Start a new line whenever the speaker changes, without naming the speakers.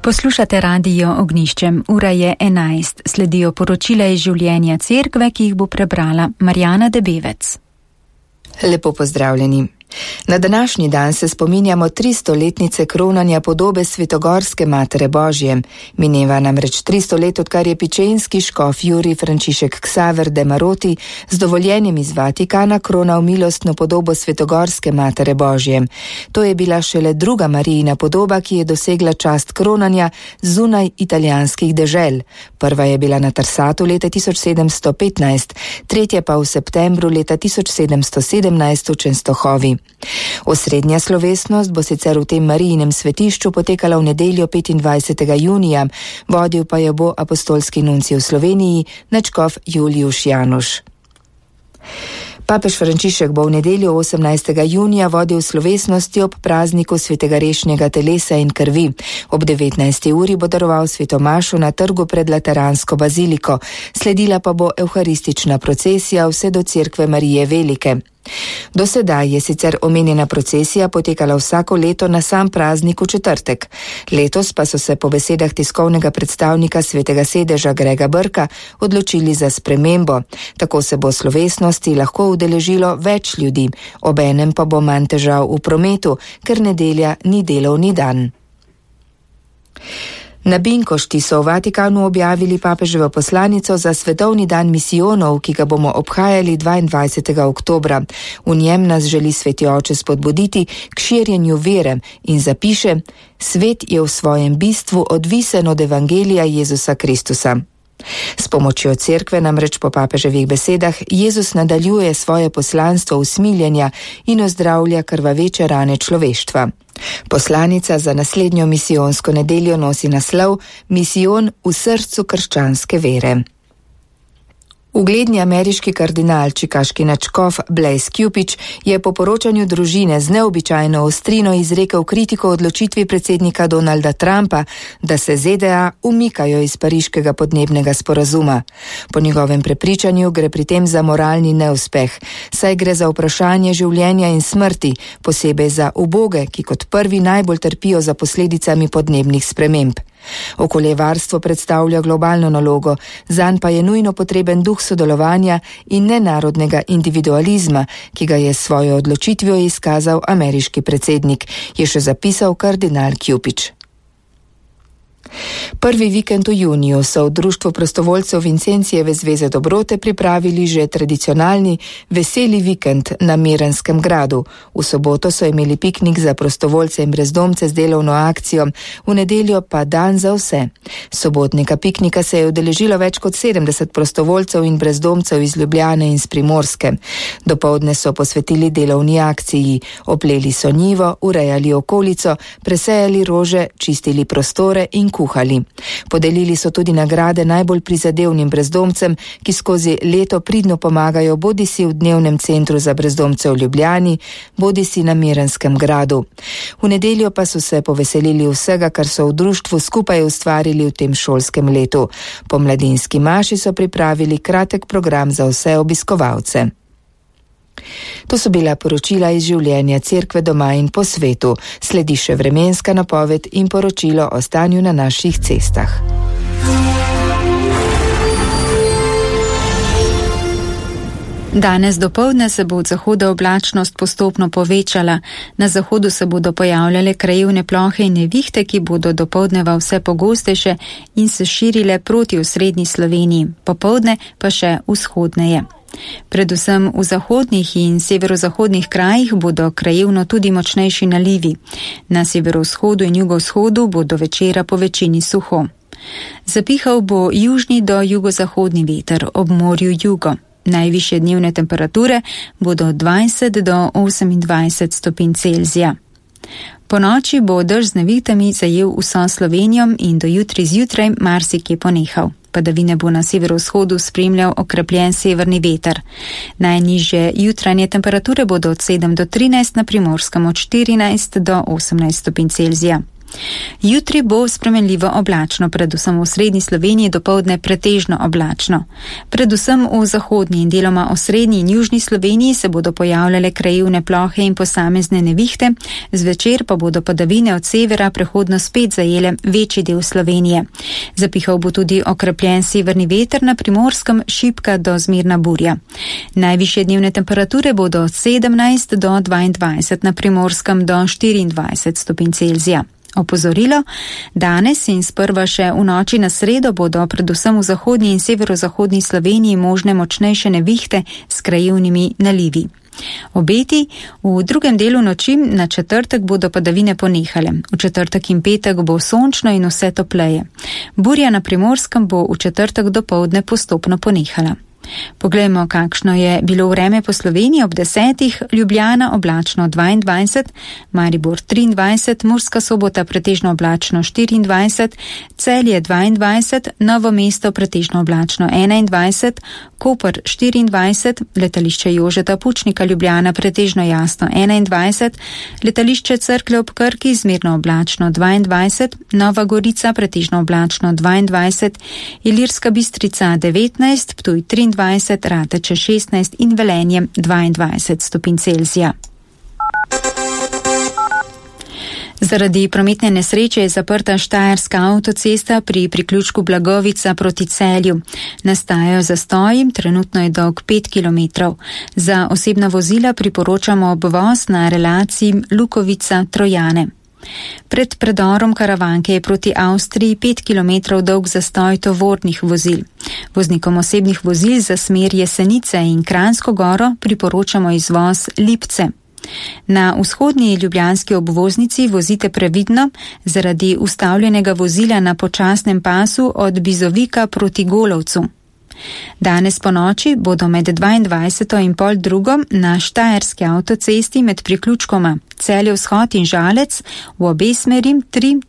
Poslušate Radio Ognjišče, ura je 11, sledijo poročila iz življenja cerkve, ki jih bo prebrala Marjana Debevec.
Lepo pozdravljeni. Na današnji dan se spominjamo 300-letnice kronanja podobe Svetogorske Matere Božje. Mineva namreč 300 let, odkar je pičenski škof Jurij Frančišek Ksaver de Maroti z dovoljenjem iz Vatikana kronal milostno podobo Svetogorske Matere Božje. To je bila šele druga Marijina podoba, ki je dosegla čast kronanja zunaj italijanskih dežel. Prva je bila na Trsatu leta 1715, tretja pa v septembru leta 1717 v Čenstohovi. Osrednja slovesnost bo sicer v tem Marijinem svetišču potekala v nedeljo 25. junija, vodil pa jo bo apostolski nuncij v Sloveniji, nadškof Julijuš Januš. Papež Frančišek bo v nedeljo 18. junija vodil slovesnosti ob prazniku svetega rešnjega telesa in krvi. Ob 19. uri bo daroval svetomašo na trgu pred Lateransko baziliko, sledila pa bo evharistična procesija vse do cerkve Marije Velike. Do sedaj je sicer omenjena procesija potekala vsako leto na sam praznik v četrtek. Letos pa so se po besedah tiskovnega predstavnika Svetega sedeža Grega Brka odločili za spremembo. Tako se bo slovesnosti lahko udeležilo več ljudi, obenem pa bo manj težav v prometu, ker nedelja ni delovni dan. Na Binkošti so v Vatikanu objavili papeževo poslanico za svetovni dan misijonov, ki ga bomo obhajali 22. oktobra. V njem nas želi Sveti Oče spodbuditi k širjenju vere in zapiše: svet je v svojem bistvu odvisen od evangelija Jezusa Kristusa. S pomočjo cerkve namreč po papeževih besedah Jezus nadaljuje svoje poslanstvo usmiljenja in ozdravlja krvaveče rane človeštva. Poslanica za naslednjo misijonsko nedeljo nosi naslov Misijon v srcu krščanske vere. Ugledni ameriški kardinal, čikaški nadškof Blaise Cupich je po poročanju družine z neobičajno ostrino izrekel kritiko odločitvi predsednika Donalda Trumpa, da se ZDA umikajo iz pariškega podnebnega sporazuma. Po njegovem prepričanju gre pri tem za moralni neuspeh, saj gre za vprašanje življenja in smrti, posebej za uboge, ki kot prvi najbolj trpijo za posledicami podnebnih sprememb. Okoljevarstvo predstavlja globalno nalogo, zanj pa je nujno potreben duh sodelovanja in nenarodnega individualizma, ki ga je s svojo odločitvijo izkazal ameriški predsednik, je še zapisal kardinal Cupich. Prvi vikend v juniju so v Društvu prostovoljcev Vincencijeve zveze dobrote pripravili že tradicionalni veseli vikend na Mirenskem gradu. V soboto so imeli piknik za prostovoljce in brezdomce z delovno akcijo, v nedeljo pa dan za vse. Sobotnega piknika se je udeležilo več kot 70 prostovoljcev in brezdomcev iz Ljubljane in s Primorske. Dopoldne so posvetili delovni akciji, opleli so njivo, urejali okolico, presejali rože, čistili prostore in kuhali. Podelili so tudi nagrade najbolj prizadevnim brezdomcem, ki skozi leto pridno pomagajo bodisi v dnevnem centru za brezdomce v Ljubljani, bodisi na Mirenskem gradu. V nedeljo pa so se poveselili vsega, kar so v društvu skupaj ustvarili v tem šolskem letu. Po mladinski maši so pripravili kratek program za vse obiskovalce. To so bila poročila iz življenja cerkve doma in po svetu. Sledi še vremenska napoved in poročilo o stanju na naših cestah.
Danes dopoldne se bo od zahoda oblačnost postopno povečala. Na zahodu se bodo pojavljale krajevne plohe in nevihte, ki bodo dopoldneva vse pogostejše in se širile proti osrednji Sloveniji, popoldne pa še vzhodneje. Predvsem v zahodnih in severozahodnih krajih bodo krajevno tudi močnejši nalivi. Na severovzhodu in jugovzhodu bo do večera po večini suho. Zapihal bo južni do jugozahodni veter, ob morju jugo. Najvišje dnevne temperature bodo 20 do 28 stopinj Celzija. Po noči bo dež z nevihtami zajel vso Slovenijo in do jutri zjutraj marsikje ponehal. Padavine bo na severovzhodu spremljal okrepljen severni veter. Najnižje jutranje temperature bodo od 7 do 13, na Primorskem od 14 do 18 stopinj Celzija. Jutri bo spremenljivo oblačno, predvsem v srednji Sloveniji dopoldne pretežno oblačno. Predvsem v zahodni in deloma osrednji in južni Sloveniji se bodo pojavljale krajevne plohe in posamezne nevihte, zvečer pa bodo padavine od severa prehodno spet zajele večji del Slovenije. Zapihal bo tudi okrepljen severni veter, na Primorskem šibka do zmerna burja. Najvišje dnevne temperature bodo od 17 do 22, na Primorskem do 24 stopinj Celzija. Opozorilo, danes in sprva še v noči na sredo bodo predvsem v zahodnji in severozahodni Sloveniji možne močnejše nevihte s krajevnimi nalivi. Obeti, v drugem delu noči na četrtek bodo padavine ponehale. V četrtek in petek bo sončno in vse topleje. Burja na Primorskem bo v četrtek dopoldne postopno ponehala. Poglejmo, kakšno je bilo vreme po Sloveniji ob 10. Ljubljana oblačno 22, Maribor 23, Murska Sobota pretežno oblačno 24, Celje 22, Novo mesto pretežno oblačno 21, Koper 24, letališče Jožeta Pučnika Ljubljana pretežno jasno 21, letališče Cerklje ob Krki zmerno oblačno 22, Nova Gorica pretežno oblačno 22, Ilirska Bistrica 19, Ptuj 23, Rateče 16 in Velenje 22 stopinj Celzija. Zaradi prometne nesreče je zaprta Štajerska avtocesta pri priključku Blagovica proti Celju. Nastajajo zastoji, trenutno je dolg 5 km. Za osebna vozila priporočamo obvoz na relaciji Lukovica-Trojane. Pred predorom Karavanke je proti Avstriji 5 km dolg zastoj tovornih vozil. Voznikom osebnih vozil za smer Jesenice in Kranjsko goro priporočamo izvoz Lipce. Na vzhodni ljubljanski obvoznici vozite previdno zaradi ustavljenega vozila na počasnem pasu od Bizovika proti Golovcu. Danes po noči bodo med 22. in pol drugom na Štajerski avtocesti med priključkoma Celje vzhod in Žalec v obe smeri 3